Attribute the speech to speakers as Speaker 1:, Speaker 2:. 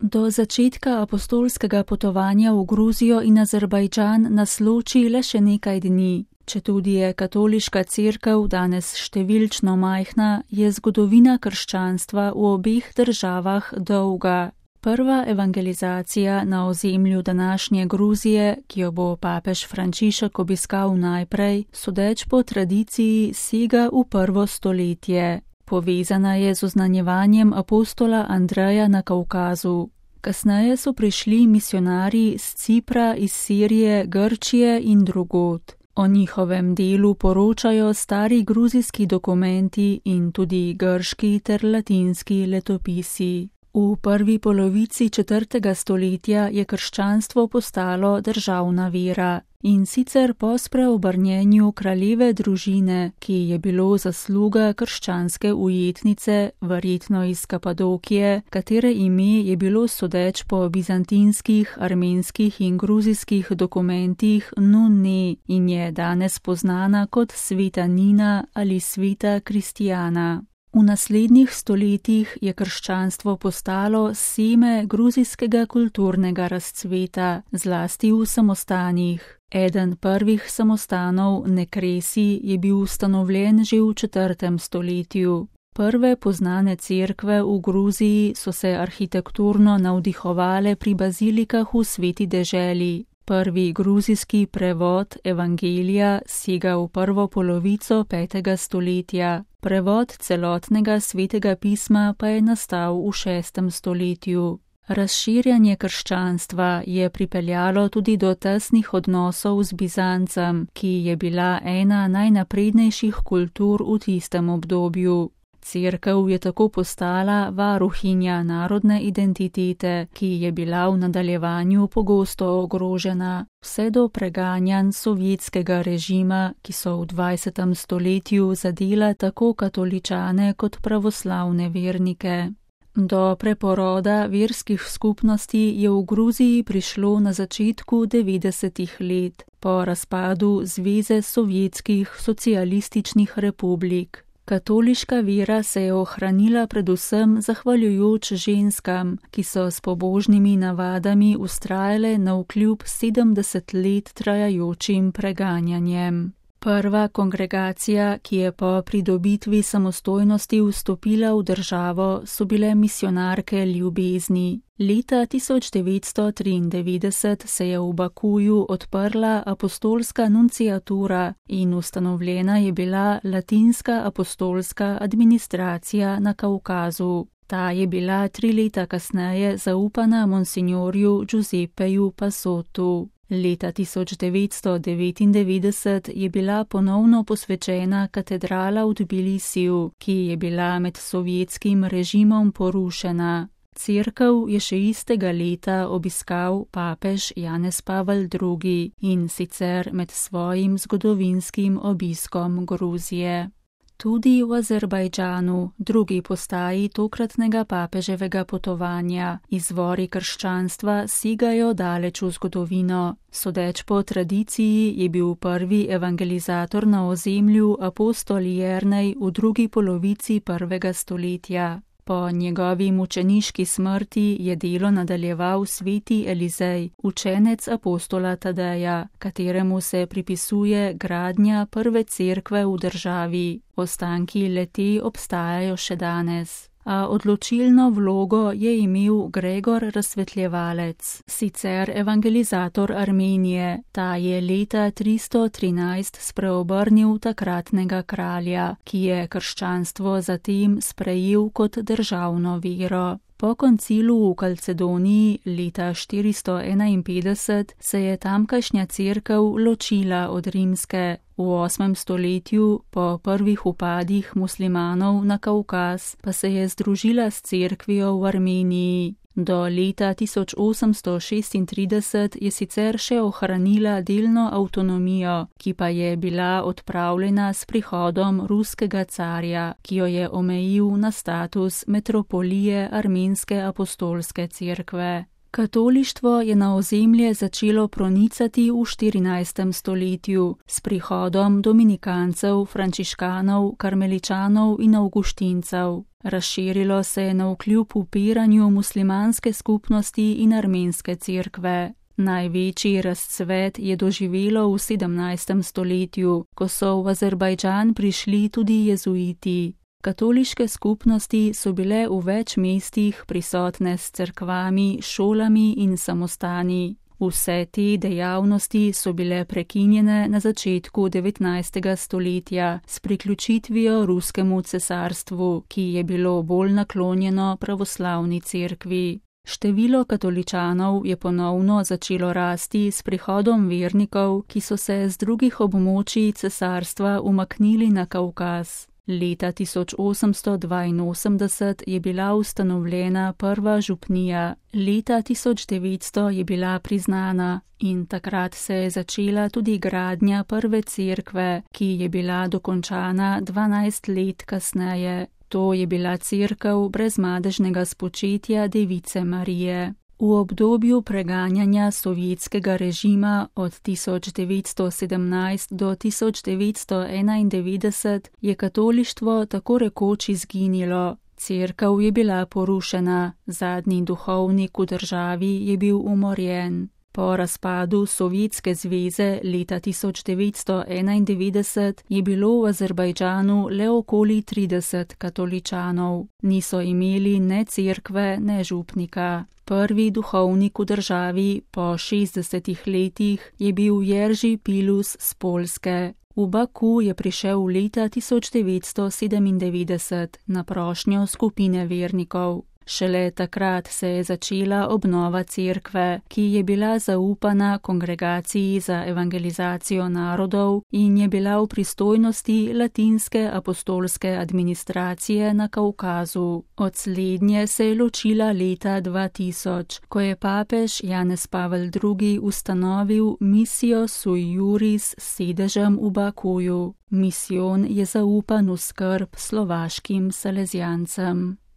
Speaker 1: Do začetka apostolskega potovanja v Gruzijo in Azerbajdžan nas loči le še nekaj dni. Četudi je katoliška cerkev danes številčno majhna, je zgodovina krščanstva v obeh državah dolga. Prva evangelizacija na ozemlju današnje Gruzije, ki jo bo papež Frančišek obiskal najprej, sodeč po tradiciji sega v 1. stoletje. Povezana je z oznanjevanjem apostola Andreja na Kavkazu. Kasneje so prišli misionarji z Cipra, iz Sirije, Grčije in drugod. O njihovem delu poročajo stari gruzijski dokumenti in tudi grški ter latinski letopisi. V prvi polovici 4. stoletja je krščanstvo postalo državna vera, in sicer po spreobrnjenju kraljeve družine, ki je bilo zasluga krščanske ujetnice, verjetno iz Kapadokije, katere ime je bilo sodeč po bizantinskih, armenskih in gruzijskih dokumentih Nunne in je danes poznana kot sveta Nina ali sveta Kristijana. V naslednjih stoletjih je krščanstvo postalo seme gruzijskega kulturnega razcveta, zlasti v samostanih. Eden prvih samostanov, Nekresi, je bil ustanovljen že v 4. stoletju. Prve poznane cerkve v Gruziji so se arhitekturno navdihovale pri bazilikah v Sveti deželi. Prvi gruzijski prevod Evangelija sega v prvo polovico 5. stoletja. Prevod celotnega svetega pisma pa je nastal v 6. stoletju. Razširjanje krščanstva je pripeljalo tudi do tesnih odnosov z Bizancem, ki je bila ena najnaprednejših kultur v tistem obdobju. Cerkev je tako postala varuhinja narodne identitete, ki je bila v nadaljevanju pogosto ogrožena, vse do preganjanj sovjetskega režima, ki so v 20. stoletju zadela tako katoličane kot pravoslavne vernike. Do preporoda verskih skupnosti je v Gruziji prišlo na začetku 90. let, po razpadu Zveze sovjetskih socialističnih republik. Katoliška vera se je ohranila predvsem zahvaljujoč ženskam, ki so s pobožnimi navadami vztrajale navkljub 70 let trajajočim preganjanjem. Prva kongregacija, ki je po pridobitvi samostojnosti vstopila v državo, so bile misionarke ljubezni. Leta 1993 se je v Bakuju odprla apostolska nunciatura in ustanovljena je bila latinska apostolska administracija na Kavkazu. Ta je bila 3 leta kasneje zaupana monsignorju Giuseppeju Passotu. Leta 1999 je bila ponovno posvečena katedrala v Tbilisiju, ki je bila med sovjetskim režimom porušena. Cerkev je še istega leta obiskal papež Janez Pavel II. In sicer med svojim zgodovinskim obiskom Gruzije. Tudi v Azerbajdžanu, drugi postaji tokratnega papeževega potovanja, izvori krščanstva segajo daleč v zgodovino. Sodeč po tradiciji je bil prvi evangelizator na ozemlju apostol Jernej v drugi polovici 1. stoletja. Po njegovi mučeniški smrti je delo nadaljeval sveti Elizej, učenec apostola Tadeja, kateremu se pripisuje gradnja prve cerkve v državi. Ostanki le-te obstajajo še danes. A odločilno vlogo je imel Gregor Razsvetljevalec, sicer evangelizator Armenije. Ta je leta 313 spreobrnil takratnega kralja, ki je krščanstvo zatem sprejel kot državno vero. Po koncilu v Kalcedoniji leta 451 se je tamkajšnja cerkev ločila od rimske. V 8. stoletju, po prvih upadih muslimanov na Kavkaz, pa se je združila s cerkvijo v Armeniji. Do leta 1836 je sicer še ohranila delno avtonomijo, ki pa je bila odpravljena s prihodom ruskega carja, ki jo je omejil na status metropolije Armenske apostolske cerkve. Katolištvo je na ozemlje začelo pronicati v 14. stoletju s prihodom dominikancev, frančiškanov, karmeličanov in avguštincev. Razširilo se je navkljub upiranju muslimanske skupnosti in armenske cerkve. Največji razcvet je doživelo v 17. stoletju, ko so v Azerbajdžan prišli tudi jezuiti. Katoliške skupnosti so bile v več mestih prisotne s cerkvami, šolami in samostani. Vse te dejavnosti so bile prekinjene na začetku 19. stoletja s priključitvijo ruskemu cesarstvu, ki je bilo bolj naklonjeno pravoslavni cerkvi. Število katoličanov je ponovno začelo rasti s prihodom vernikov, ki so se z drugih območij cesarstva umaknili na Kavkaz. Leta 1882 je bila ustanovljena prva župnija, leta 1900 je bila priznana in takrat se je začela tudi gradnja prve cerkve, ki je bila dokončana 12 let kasneje. To je bila cerkev brezmadežnega spočetja Device Marije. V obdobju preganjanja sovjetskega režima od 1917 do 1991 je katolištvo tako rekoč izginilo. Cerkev je bila porušena, zadnji duhovnik v državi je bil umorjen. Po razpadu Sovjetske zveze leta 1991 je bilo v Azerbajdžanu le okoli 30 katoličanov. Niso imeli ne cerkve, ne župnika. Prvi duhovnik v državi po 60 letih je bil Jerži Pilus z Poljske. V Baku je prišel leta 1997 na prošnjo skupine vernikov. Šele takrat se je začela obnova cerkve, ki je bila zaupana Kongregaciji za evangelizacijo narodov in je bila v pristojnosti latinske apostolske administracije na Kavkazu. Od slednje se je ločila leta 2000, ko je papež Janez Pavel II. Ustanovil misijo sui juris s sedežem v Bakuju. Misijon je zaupan v skrb slovaškim salezijancem.